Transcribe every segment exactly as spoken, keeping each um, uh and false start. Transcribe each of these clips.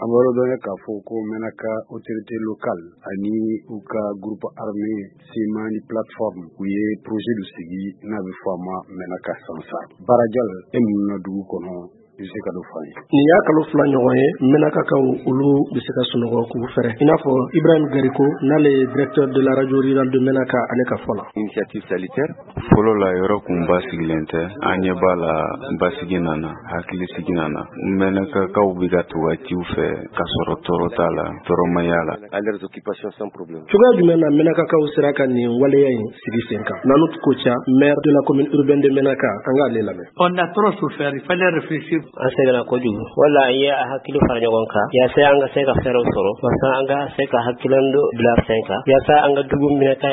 An b'a dɔn k'a fɔ ko Menaka autorité locale ani u ka groupe armé C M A ni plateforme, u ye projet dɔ sigi n'a bɛ fɔ a ma Menaka sans armes. Barajal, e mun na dugu kɔnɔ, i bɛ se ka dɔ fɔ an ye? Nin y'a kalo fila ɲɔgɔn ye, Menakakaw olu bɛ se ka sunɔgɔ k'u fɛrɛ, i n'a fɔ Ibrahim Gariko, n'ale ye directeur de la radio rurale de Menaka, ale ka fɔ la. Initiative salutaire. Fɔlɔ la, yɔrɔ kun basigilen tɛ. An ɲɛ b'a la, basigi nana, hakili sigi nana. Mɛnakakaw bɛ ka to ka ciw fɛ ka sɔrɔ tɔɔrɔ t'a la, tɔɔrɔmaya la. À leurs occupations sans problème. Cogoya jumɛn na Menakakaw sera ka nin waleya in sigi sen kan? Nanu Koca, maire de la commune urbaine de Menaka, an k'ale lamɛn. On a trop souffert, il fallait réfléchir. An sɛgɛnna kojugu wala an ye a hakili fara ɲɔgɔn kan yaasa an ka se ka fɛɛrɛw sɔrɔ, walasa an ka se ka hakililan dɔ bila sen kan, yaasa an ka dugu minɛ ka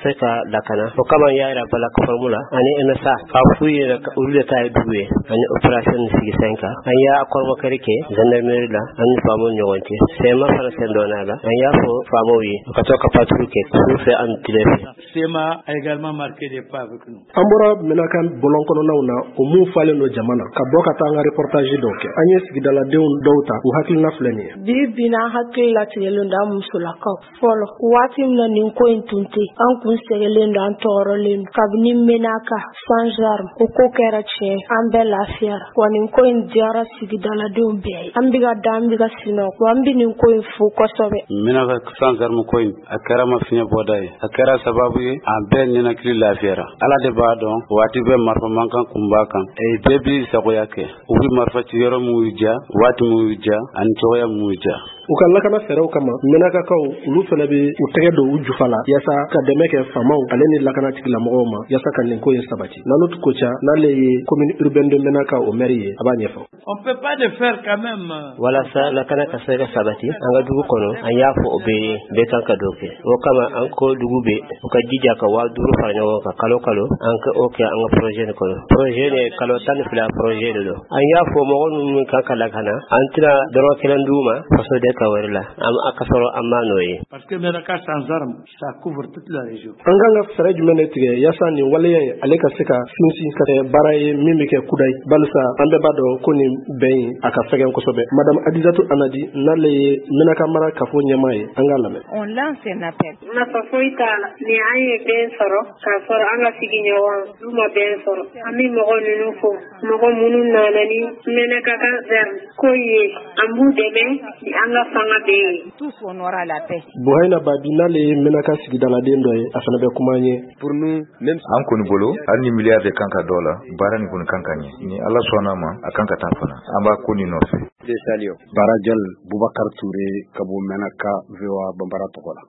se ka lakana. O kama an y'a yira plateforme la ani M S A k'a f'u yɛrɛ olu de ta ye dugu ye. Ani opération sigi sen kan, an y'a kɔrɔmɔkɛri kɛ gendarmerie la, an ni faamaw ni ɲɔgɔn cɛ. C M A fana sen donna la. An y'a fɔ faamaw ye u ka to ka patrouille kɛ su fɛ ani tile fɛ. C M A a également marqué des pas avec nous. An bɔra Menaka bɔlɔn kɔnɔnaw na, o mun falen don jama na, ka bɔ ka taa an ka reportage dɔw kɛ. An ye sigidaladenw dɔw ta, u hakilina filɛ nin ye. Bi bi na, an hakili latigɛlen don, an musolakaw. Fɔlɔ, waati min na nin ko in tun tɛ, an kun sɛgɛlen don, an tɔɔrɔlen don. Kabini Menaka sans arme o ko kɛra tiɲɛ, an bɛɛ lafiyara wa. Nin ko in diyara sigidaladenw bɛɛ ye. An bɛ ka da, an bɛ ka sinɔgɔ wa. An bɛ nin ko in fo kosɛbɛ. Menaka sans arme ko in, a kɛra ma fiɲɛ bɔda ye, a kɛra sababu ye an bɛɛ ninakili lafiyara. Ala de b'a dɔn, waati bɛɛ marifa mankan kun b'a kan. Bɛɛ b'i sagoya kɛ, u bɛ marifa ci yɔrɔ min y'u diya, waati min y'u diya, ani cogoya min y'u diya. U ka lakana fɛɛrɛw kama, Menakakaw olu fana bɛ u tɛgɛ don u jufa la yaasa ka dɛmɛ kɛ faamaw ale ni lakana tigilamɔgɔw ma, yaasa ka nin ko in sabati. Nanu Koca, n'ale ye commune urbaine de Menaka o maire ye, a b'a ɲɛfɔ. On peut pas le faire quand même. Walasa lakana ka se ka sabati an ka dugu kɔnɔ, an y'a fɔ o bɛɛ ye, bɛɛ kan ka dɔ kɛ. O kama an ko dugu bɛɛ u ka jija ka waa duuru fara ɲɔgɔn kan kalo kalo, an ka o kɛ an ka projet nin kɔnɔ. Projet nin, kalo tan ni fila projet de don. An y'a fɔ mɔgɔ minnu kan ka lakana, an tɛna dɔrɔn kelen d'u ma faso de ka wɛrɛ la, an ka sɔrɔ an m'a n'o ye. Parce que Menaka sans armes, ça couvre toute la région. An kan ka fɛɛrɛ jumɛn de tigɛ yaasa nin waleya in ale ka se ka sinsin ka kɛ baara ye min bɛ kɛ kudayi, balisa an bɛɛ b'a dɔn ko nin bɛn in a ka fɛgɛn kosɛbɛ? Madame Adizatu Anadi, n'ale ye Menaka mara kafo ɲɛmaa ye, an k'a lamɛn. On lance un appel. Nafa foyi t'a la ni an ye bɛn sɔrɔ k'a sɔrɔ an ka sigiɲɔgɔn du ma bɛn sɔrɔ. An bɛ mɔgɔ ninnu fo, mɔgɔ minnu nana ni Menaka ka ko ye, an b'u dɛmɛ ni an ka fanga bɛɛ ye. Tous on aura la paix. Buhayina Babi, n'ale ye Menaka sigidaladen dɔ ye, a fana bɛ kuma an ye. Pour nous, même An kɔni bolo, hali ni miliyari de kan ka dɔ la, baara nin kɔni kan ka ɲɛ. Ni Ala sɔnna ma, a kan ka taa fana, an b'a ko nin nɔfɛ. Barajal, Bubakar Ture ka bɔ Menaka, V O A Bambara tɔgɔ la.